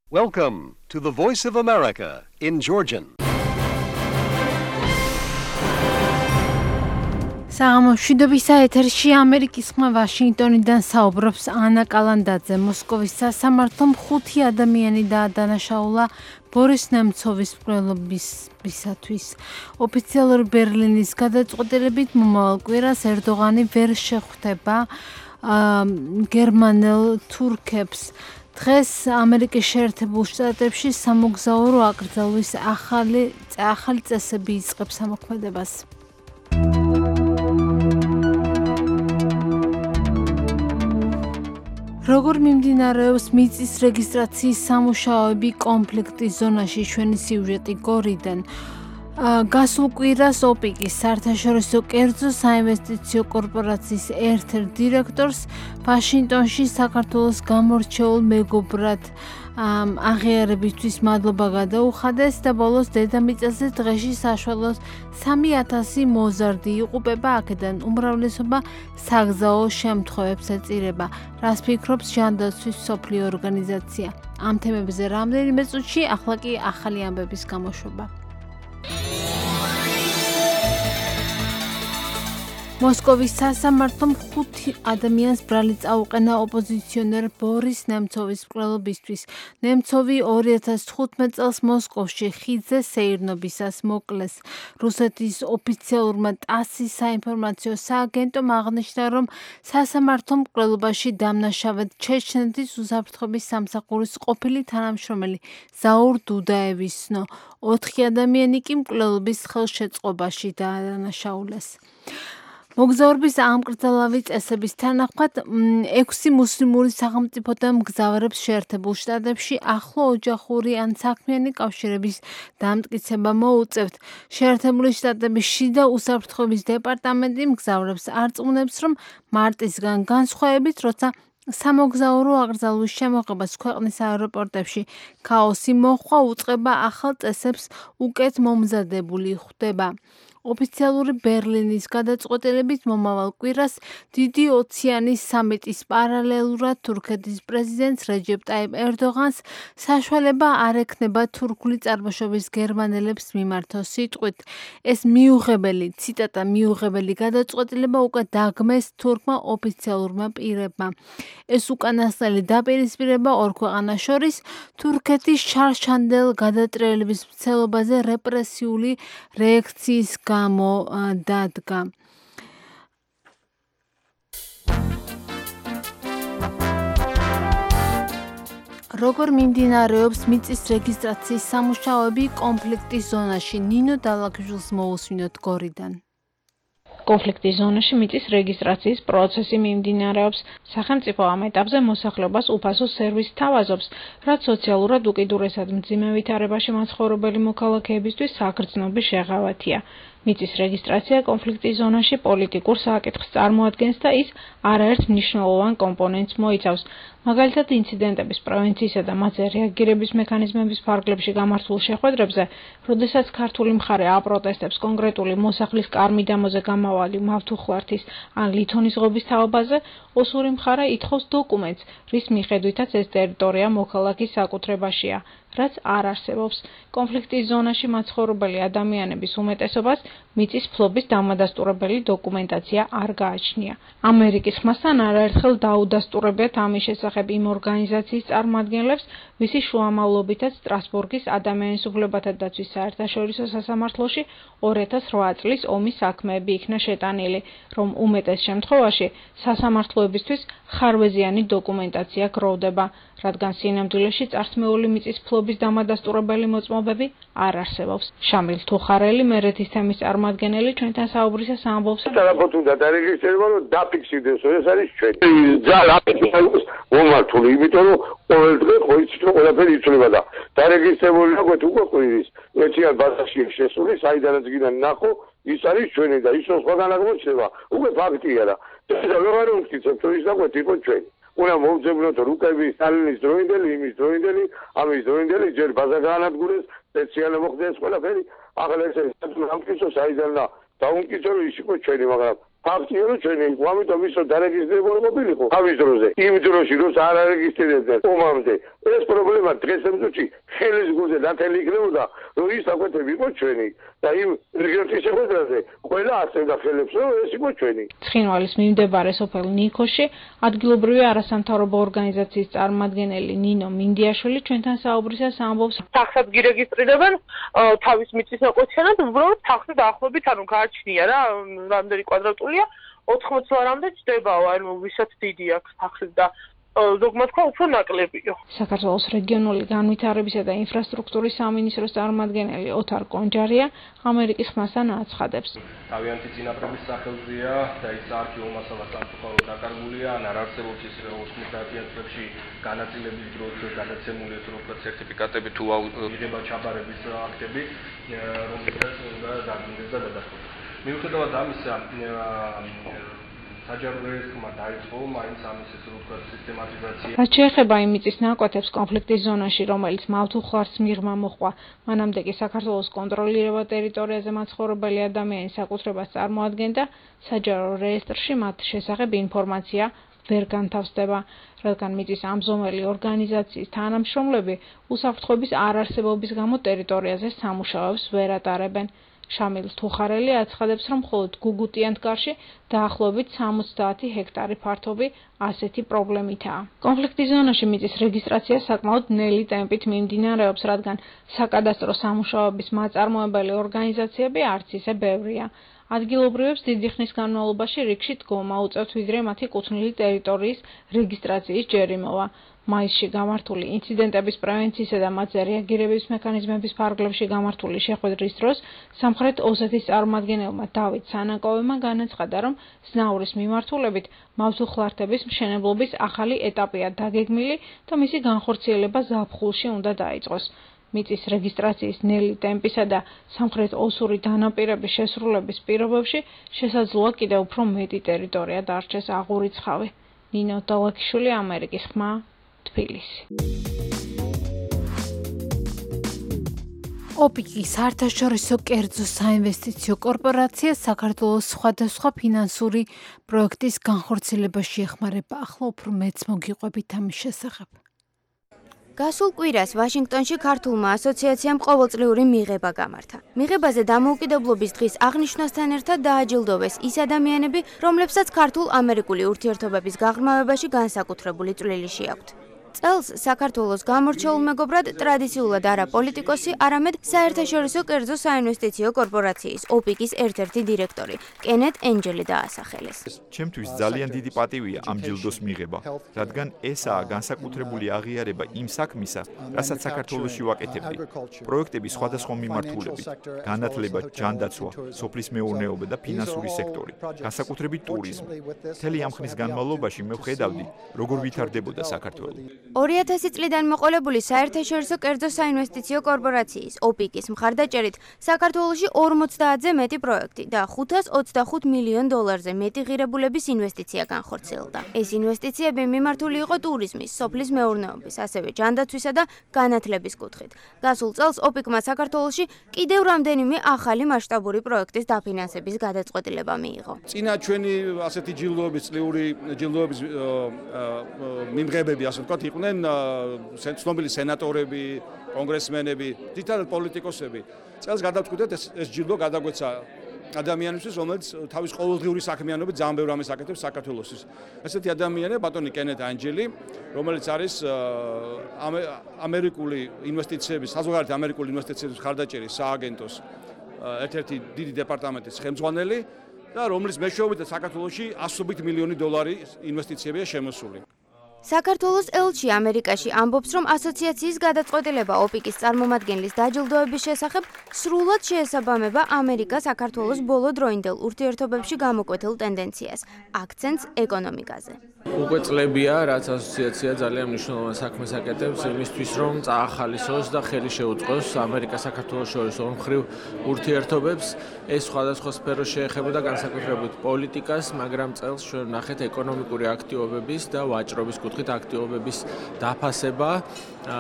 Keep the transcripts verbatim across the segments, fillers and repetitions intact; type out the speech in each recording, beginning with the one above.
Welcome to the Voice of America in Georgian. საღამოშვიდობისა ეთერში ამერიკის ხმა ვაშინგტონიდან საუბრობს ანა კალანდაძე. მოსკოვის სასამართლო ხუთი ადამიანი დაადანაშაულა ბორის ნემცოვის მკვლელობისათვის. ოფიციალური ბერლინის გადაწყვეტილებით მომავალ კვირას ერდოღანი ვერ შეხვდება გერმანელ თურქებს. დღეს ამერიკის შეერთებულ შტატებში სამოგზაურო აკრძალვის ახალი ახალი წესები იწყებს ამოქმედებას. როგორ მიმდინარეობს მიწის რეგისტრაციის სამუშაოები კონფლიქტის ზონაში? ჩვენი სიუჟეტი გორიდან. გასულ კვირას ოპიკის საერთაშორისო კერძო საინვესტიციო კორპორაციის ერთ-ერთ დირექტორს ვაშინგტონში საქართველოს გამორჩეულ მეგობრად აღიარებისთვის მადლობა გადაუხადეს და ბოლოს დედამიწაზე დღეში საშუალოდ სამი ათასი მოზარდი იღუპება, აქედან უმრავლესობა საგზაო შემთხვევებს ეწირება. რას ფიქრობს ჟანდაცვის მსოფლიო ორგანიზაცია? ამ თემებზე რამდენიმე წუთში, ახლა კი ახალი ამბების გამოშვება. მოსკოვის სასამართლომ ხუთი ადამიანს ბრალი წაუყენა ოპოზიციონერ ბორის ნემცოვის მკვლელობისთვის. ნემცოვი ორი ათას თხუთმეტ წელს მოსკოვში ხიდზე სეირნობისას მოკლეს. რუსეთის ოფიციალურმა ტასის საინფორმაციო სააგენტომ აღნიშნა, რომ სასამართლო მკვლელობაში დამნაშავედ ჩეჩნეთის უსაფრთხოების სამსახურის ყოფილი თანამშრომელი ზაურ დუდაევის ცნო. ოთხი ადამიანი კი მკვლელობის ხელშეწყობაში დაადანაშაულეს. მოგზაურობის ამკრძალავი წესების თანახმად ექვსი მუსლიმური სახელმწიფოდან მგზავრებს შეერთებულ შტატებში ახლო ოჯახური ან საქმიანი კავშირების დამტკიცება მოუწევთ. შეერთებული შტატების შიდა უსაფრთხოების დეპარტამენტი მგზავრებს არწმუნებს, რომ მარტისგან განსხვავებით, როცა სამოგზაურო აკრძალვის შემოღებას ქვეყნის აეროპორტებში ქაოსი მოჰყვა, უწყება ახალ წესებს უკეთ მომზადებული ხვდება. ოფიციალური ბერლინის გადაწყვეტილებით მომავალ კვირას დიდი ოციანის სამიტის პარალელურად თურქეთის პრეზიდენტს რეჯეპ ტაიპ ერდოღანს საშუალება არ ექნება თურქული წარმოშობის გერმანელებს მიმართოს სიტყვით. ეს მიუღებელი, ციტატა მიუღებელი გადაწყვეტილება უკვე დაგმეს თურქმა ოფიციალურმა პირებმა. ეს უკანასკნელი დაპირისპირება ორ ქვეყანას შორის თურქეთის შარშანდელ გადატრიალების მცდელობაზე რეპრესიული რეაქციის გამო დადგა. როგორ მიმდინარეობს მიწის რეგისტრაციის სამუშაოები კონფლიქტის ზონაში? ნინო დალაგჟულს მოусვინოთ გორიდან. კონფლიქტის ზონაში მიწის რეგისტრაციის პროცესი მიმდინარეობს. სახელმწიფო ამ ეტაპზე მოსახლეობას უფასო სერვისს თავაზობს, რაც სოციალურად უკიდურესად მძიმე ვითარებაში მაცხოვრებელი მოქალაქეებისთვის საგრძნობი შეღავათია. მიწის რეგისტრაცია კონფლიქტის ზონაში პოლიტიკურ საკითხს წარმოადგენს და ის არაერთ მნიშვნელოვან კომპონენტს მოიცავს. მაგალითად, ინციდენტების პრევენციისა და მათზე რეაგირების მექანიზმების ფარგლებში გამართულ შეხვედრებზე, როდესაც ქართული მხარე აპროტესტებს კონკრეტული მოსახლის კარ-მიდამოზე გამავალი მავთუხლართის ან ლითონის ღობის თაობაზე, ოსური მხარე ითხოვს დოკუმენტს, რის მიხედვითაც ეს ტერიტორია მოქალაქის საკუთრებაშია, რაც არ არსებობს. კონფლიქტის ზონაში მაცხოვრებელი ადამიანების უმეტესობას მიწის ფლობის დამადასტურებელი დოკუმენტაცია არ გააჩნია. ამერიკის ხმასთან არაერთხელ დაუდასტურებიათ ამის შესახებ იმ ორგანიზაციის წარმომადგენლებს, ვისი შუამავლობითაც სტრასბურგის ადამიანის უფლებათა დაცვის საერთაშორისო სასამართლოში ორი ათას რვა წლის ომის საქმეები იქნა შეტანილი, რომ უმეტეს შემთხვევაში სასამართლოებისთვის ხარვეზიანი დოკუმენტაცია გროვდება, რადგან სინამდვილეში წართმეული მიწის ფლობის დამადასტურებელი მოწმობები არ არსებობს. შამილ თუხარელი, მერეთის თემის წარმომადგენელი, ჩვენთან საუბრისას ამბობს, დაახლოებით უნდა დარეგისტრირება, რომ დაფიქსირდეს, ეს არის ჩვენ. ძალ აპეტიტს მომართული, იმიტომ რომ ყოველ დღე ხოიცით რომ ყველაფერი იცვლება და დარეგისტრირებული აქვს უკვე კვირის. მეციან ბაზაში შესული, საიდანაც გინდა ნახო, ის არის ჩვენი და ის რომ სხვაგან არ მოჩნდება, უკვე ფაქტია რა. და ვეღარ ვამტკიცებ, თუ ის დაგვეთ იყო ჩვენი. უნდა მომძებნოთ რუკები, სტალინის დროინდელი, იმის დროინდელი, ამის დროინდელი, ჯერ ბაზა გაანადგურეს, სპეციალურად მოხდეს ყველაფერი. ახლა ეს ამტკიცო საიდან და დაუმტკიცო რომ ის იყო ჩვენი, მაგრამ ფაქტია რომ ჩვენი ამიტომ ისო დარეგისტრირებული ყოფილიყო თავის დროზე იმ დროში რომ არ არეგისტრირებდნენ ომამდე ეს პრობლემა დღეს ემძუჩი ხელის გულზე დათელი იქნებოდა რომ ის აკვეთები იყო ჩვენი და იმ რეგიონის შეხვედრაზე ყველა ასევდა ხელებს რომ ეს იყო ჩვენი. ცხინვალის მიმდებარე სოფელ ნიქოში ადგილობრივი არასამთავრობო ორგანიზაციის წარმომადგენელი ნინო მინდიაშვილი ჩვენთან საუბრისას ამბობს სახსად გირეგისტრირებენ თავის მიწის ნაკვეთიანად უბრალოდ სახსი დაახლოებით ანუ გააჩნია რა რამდენი კვადრატულია ოთხმოცი ლარამდე ჩდებაო ანუ ვისაც დიდი აქვს სახსი და ზოგმა თქვა უფრო ნაკლებიო. საქართველოს რეგიონული განვითარებისა და ინფრასტრუქტურის სამინისტროს წარმომადგენელი ოთარ კონჯარია ამერიკის ხმასთან აცხადებს. თავიანთი წინაპრების სახელზეა და ის არქივო მასალა სამწუხაროდ დაკარგულია, ან არ არსებობს ის ოცდაათიან წლებში განაწილების დროს გადაცემული უფრო სერტიფიკატები თუ იღება ჩაბარების აქტები, რომელსაც უნდა დაგინდეს და დადასტურდეს. მიუხედავად ამისა, რაც შეეხება იმ მიწის ნაკვეთებს კონფლიქტის ზონაში, რომელიც მავთულხარს მიღმა მოჰყვა, მანამდე კი საქართველოს კონტროლირებულ ტერიტორიაზე მაცხოვრებელი ადამიანის საკუთრებას წარმოადგენდა, საჯარო რეესტრში მათ შესახებ ინფორმაცია ვერ განთავსდება, რადგან მიწის ამზომელი ორგანიზაციის თანამშრომლები უსაფრთხოების არარსებობის გამო ტერიტორიაზე სამუშაოებს ვერ ატარებენ. შამილ თუხარელი აცხადებს, რომ მხოლოდ გუგუტიანთკარში დაახლოებით სამოცდაათი ჰექტარი ფართობი ასეთი პრობლემითაა. კონფლიქტის ზონაში მიწის რეგისტრაცია საკმაოდ ნელი ტემპით მიმდინარეობს, რადგან საკადასტრო სამუშაოების მაწარმოებელი ორგანიზაციები არც ისე ბევრია. ადგილობრივებს დიდი ხნის განმავლობაში რიგში დგომა უწევთ, ვიდრე მათი კუთვნილი ტერიტორიის რეგისტრაციის ჯერი მოვა. მაისში გამართული ინციდენტების პრევენციისა და მათზე რეაგირების მექანიზმების ფარგლებში გამართული შეხვედრის დროს სამხრეთ ოსეთის წარმომადგენელმა დავით სანაკოვმა განაცხადა, რომ ზნაურის მიმართულებით მავთულხლართების მშენებლობის ახალი ეტაპია დაგეგმილი და მისი განხორციელება ზაფხულში უნდა დაიწყოს. მიწის რეგისტრაციის ნელი ტემპისა და სამხრეთ ოსური დანაპირების შესრულების პირობებში შესაძლოა კიდევ უფრო მეტი ტერიტორია დარჩეს აღურიცხავი. ნინო დალაქიშვილი, ამერიკის ხმა, თბილისი. ოპიკი საერთაშორისო კერძო საინვესტიციო კორპორაცია საქართველოს სხვადასხვა ფინანსური პროექტის განხორციელებაში ეხმარება. ახლა უფრო მეც მოგიყვებით ამის შესახებ. გასულ კვირას ვაშინგტონში ქართულმა ასოციაციამ ყოველწლიური მიღება გამართა. მიღებაზე დამოუკიდებლობის დღის აღნიშვნასთან ერთად დააჯილდოვეს ის ადამიანები, რომლებსაც ქართულ-ამერიკული ურთიერთობების გაღრმავებაში განსაკუთრებული წვლილი შეაქვთ. წელს საქართველოს გამორჩეულ მეგობრად ტრადიციულად არა პოლიტიკოსი, არამედ საერთაშორისო კერძო საინვესტიციო კორპორაციის ოპიკის ერთ-ერთი დირექტორი კენეთ ენჯელი დაასახელეს. ჩემთვის ძალიან დიდი პატივია ამ ჯილდოს მიღება, რადგან ესაა განსაკუთრებული აღიარება იმ საქმისა, რასაც საქართველოში ვაკეთებდი. პროექტების სხვადასხვა მიმართულებით, განათლება, ჯანდაცვა, სოფლის მეურნეობა და ფინანსური სექტორი, განსაკუთრებით ტურიზმი. მთელი ამ ხნის განმავლობაში მე ვხედავდი, როგორ ვითარდებოდა საქართველო. ორი ათასი წლიდან მოყოლებული საერთაშორისო კერძო საინვესტიციო კორპორაციის ოპიკის მხარდაჭერით საქართველოში ორმოცდაათზე მეტი პროექტი და ხუთას ოცდახუთ მილიონ დოლარზე მეტი ღირებულების ინვესტიცია განხორციელდა. ეს ინვესტიციები მიმართული იყო ტურიზმის, სოფლის მეურნეობის, ასევე ჯანდაცვისა და განათლების კუთხით. გასულ წელს ოპიკმა საქართველოში კიდევ რამდენიმე ახალი მასშტაბური პროექტის დაფინანსების გადაწყვეტილება მიიღო. წინა ჩვენი ასეთი ჯილდოების, წლიური ჯილდოების მიმღებები, ასე ვთქვათ, იყვნენ ცნობილი სენატორები, კონგრესმენები, თითქოს პოლიტიკოსები. წელს გადავწყვიტეთ ეს ეს ჯილდო გადაგვეცა ადამიანისთვის, რომელიც თავის ყოველდღიური საქმიანობით ძალიან ბევრ ამას აკეთებს საქართველოსთვის. ესეთი ადამიანია ბატონი კენეთ ენჯელი, რომელიც არის ამერიკული ინვესტიციების, საზღვარგარეთ ამერიკული ინვესტიციების მხარდაჭერის სააგენტოს ერთ-ერთი დიდი დეპარტამენტის ხელმძღვანელი და რომლის მეშვეობით საქართველოში ასობით მილიონი დოლარი ინვესტიციებია შემოსული. საქართველოს ელჩი ამერიკაში ამბობს, რომ ასოციაციის გადაწყვეტილება ოპიკის წარმომადგენლის დაჯილდოების შესახებ სრულად შეესაბამება ამერიკა-საქართველოს ბოლო დროინდელ ურთიერთობებში გამოკვეთილ ტენდენციას, აქცენტს ეკონომიკაზე. უკვე წლებია, რაც ასოციაცია ძალიან მნიშვნელოვან საქმეს აკეთებს იმისთვის, რომ წაახალისოს და ხელი შეუწყოს ამერიკა-საქართველოს შორის ორმხრივ ურთიერთობებს. ეს სხვადასხვა სფეროს შეეხებოდა განსაკუთრებით პოლიტიკას, მაგრამ წელს ჩვენ ვნახეთ ეკონომიკური აქტივობების და ვაჭრობის კუთხით. კუთხით აქტივობების დაფასება,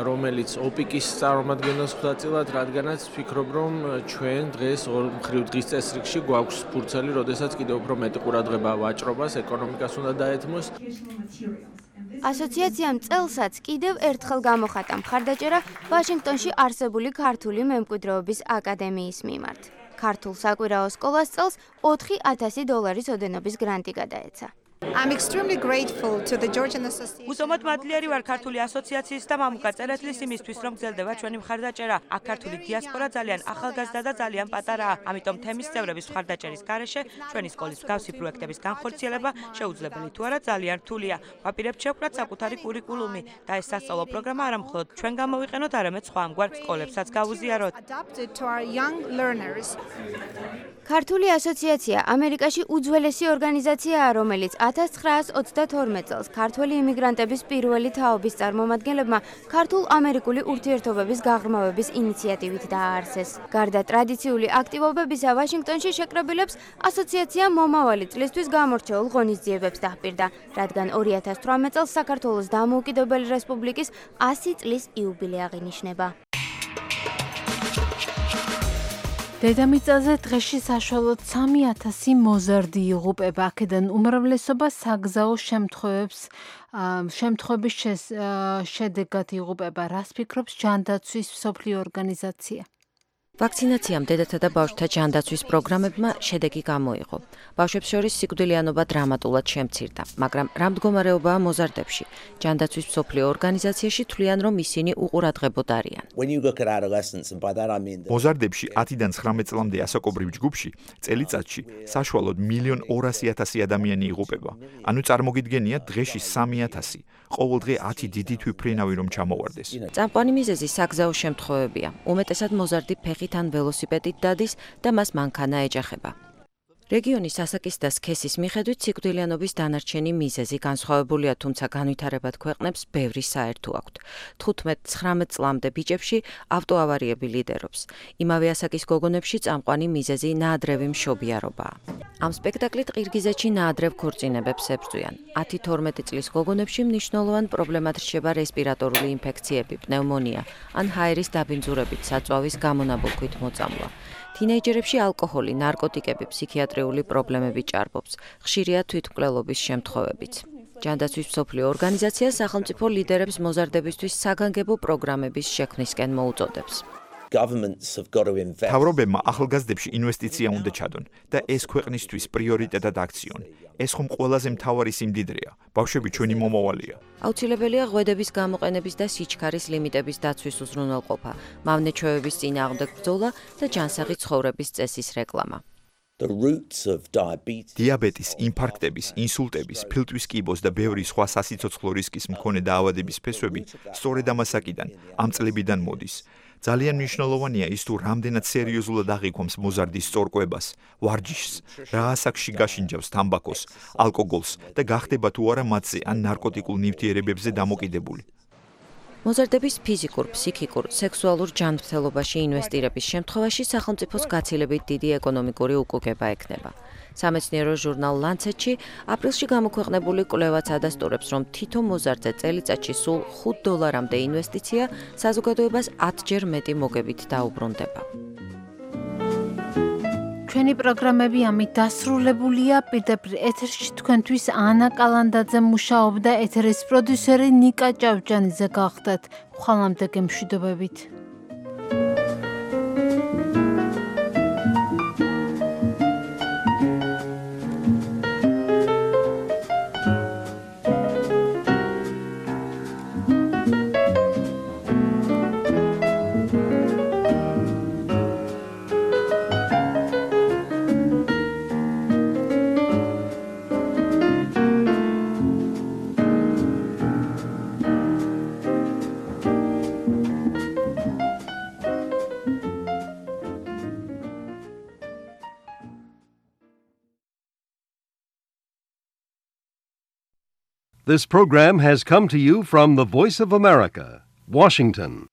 რომელიც ოპიკის წარმომადგენელს ხვდაწილად, რადგანაც ვფიქრობ, რომ ჩვენ დღეს ორ მხრივ დღის წესრიგში გვაქვს ფურცელი, როდესაც კიდევ უფრო მეტი ყურადღება ვაჭრობას, ეკონომიკას უნდა დაეთმოს. ასოციაციამ წელსაც კიდევ ერთხელ გამოხატა მხარდაჭერა ვაშინგტონში არსებული ქართული მემკვიდრეობის აკადემიის მიმართ. ქართულ საკვირაო სკოლას წელს ოთხი ათასი დოლარის ოდენობის გრანტი გადაეცა. I'm extremely grateful to the Georgian Association. Უსომოდ მადლიერი ვარ ქართული ასოციაციის და მამუკა წერეთლის იმისთვის, რომ გრძელდება ჩვენი მხარდაჭერა. აქ ქართული დიასპორა ძალიან ახალგაზრდა და ძალიან პატარაა. ამიტომ თემის წევრების მხარდაჭერის გარეშე ჩვენი სკოლის მსგავსი პროექტების განხორციელება შეუძლებელი თუ არა ძალიან რთულია. ვაპირებთ შევკრათ საკუთარი კურიკულუმი და ეს სასწავლო პროგრამა არა მხოლოდ ჩვენ გამოვიყენოთ, არამედ სხვა ამგვარ სკოლებსაც გავუზიაროთ. ქართული ასოციაცია ამერიკაში უძველესი ორგანიზაციაა, რომელიც ათას ცხრაას ოცდათორმეტ წელს ქართველი იმიგრანტების პირველი თაობის წარმომადგენლებმა ქართულ-ამერიკული ურთიერთობების გაღრმავების ინიციატივით დააარსეს. გარდა ტრადიციული აქტივობებისა, ვაშინგტონში შეკრებილებს ასოციაცია მომავალი წლისთვის გამორჩეულ ღონისძიებებს დაჰპირდა, რადგან ორი ათას თვრამეტ წელს საქართველოს დამოუკიდებელი რესპუბლიკის ასი წლის იუბილე აღინიშნება. დედამიწაზე დღეში საშუალოდ სამი ათასი მოზარდი იღუპება, აქედან უმრავლესობა საგზაო შემთხვევებს შემთხვევების შედეგად იღუპება. რას ფიქრობს ჯანდაცვის მსოფლიო ორგანიზაცია? ვაქცინაციამ დედათა და ბავშვთა ჯანდაცვის პროგრამებმა შედეგი გამოიღო. ბავშვებს შორის სიკვდილიანობა დრამატულად შემცირდა, მაგრამ რა მდგომარეობაა მოზარდებში? ჯანდაცვის მსოფლიო ორგანიზაციაში თვლიან, რომ ისინი უყურადღებოდ არიან. მოზარდებში ათიდან ცხრამეტ წლამდე ასაკობრივ ჯგუფში წელიწადში საშუალოდ მილიონ ორასი ათასი ადამიანი იღუპება. ანუ წარმოგიდგენიათ დღეში სამი ათასი. ყოველდღე ათი დიდი თვითმფრინავი რომ ჩამოვარდეს. წამყვანი მიზეზი საგზაო შემთხვევებია. უმეტესად მოზარდი ფეხით ან ველოსიპედით დადის და მას მანქანა ეჯახება. რეგიონის ასაკის და სქესის მიხედვით სიკვდილიანობის დანარჩენი მიზეზი განსხვავებულია, თუმცა განვითარებად ქვეყნებს ბევრი საერთო აქვთ. თხუთმეტ ცხრამეტ წლამდე ბიჭებში ავტოავარიები ლიდერობს. იმავე ასაკის გოგონებში წამყვანი მიზეზი ნაადრევი მშობიარობაა. ამ სპექტაკლით ყირგიზეთში ნაადრევ ქორწინებებს ებრძვიან. ათი თორმეტი წლის გოგონებში მნიშვნელოვან პრობლემად რჩება რესპირატორული ინფექციები, პნევმონია ან ჰაერის დაბინძურებით საწვავის გამონაბოლქვით მოწამვლა. თინეიჯერებში ალკოჰოლი, ნარკოტიკები, ფსიქიატრიული პრობლემები ჭარბობს. ხშირია თვითმკვლელობის შემთხვევებიც. ჯანდაცვის მსოფლიო ორგანიზაცია სახელმწიფო ლიდერებს მოზარდებისთვის საგანგებო პროგრამების შექმნისკენ მოუწოდებს. მთავრობებმა ახალგაზრდებში ინვესტიცია უნდა ჩადონ და ეს ქვეყნისთვის პრიორიტეტად აქციონ. ეს ხომ ყველაზე მთავარი სიმდიდრეა. ბავშვები ჩვენი მომავალია. აუცილებელია ღვედების გამოყენების და სიჩქარის ლიმიტების დაცვის უზრუნველყოფა, მავნე ჩვევების წინააღმდეგ ბრძოლა და ჯანსაღი ცხოვრების წესის რეკლამა. დიაბეტის, ინფარქტების, ინსულტების, ფილტვის კიბოს და ბევრი სხვა სასიცოცხლო რისკის მქონე დაავადების ფესვები სწორედ ამასაკიდან, ამ წლებიდან მოდის. ძალიან მნიშვნელოვანია ის თუ რამდენად სერიოზულად აღიქვამს მოზარდის სწორკვებას, ვარჯიშს, რა ასაკში გაშინჯავს თამბაქოს, ალკოგოლს და გახდება თუ არა მათზე ან ნარკოტიკულ ნივთიერებებზე დამოკიდებული. მოზარდების ფიზიკურ, ფსიქიკურ, სექსუალურ ჯანმრთელობაში ინვესტირების შემთხვევაში სახელმწიფოს გაცილებით დიდი ეკონომიკური უკუგება ექნება. სამეცნიერო ჟურნალ Lancet-ში აპრილში გამოქვეყნებული კვლევაც ადასტურებს, რომ თითო მოზარდზე წელიწადში სულ ხუთ დოლარამდე ინვესტიცია საზოგადოებას ათჯერ მეტი მოგებით დაუბრუნდება. ჩვენი პროგრამები ამით დასრულებულია. პირდაპირ ეთერში თქვენთვის ანა კალანდაძე მუშაობდა, ეთერის პროდიუსერი ნიკა ჭავჭანიძე გახდათ. ხვალამდე გემშვიდობებით. This program has come to you from the Voice of America, Washington.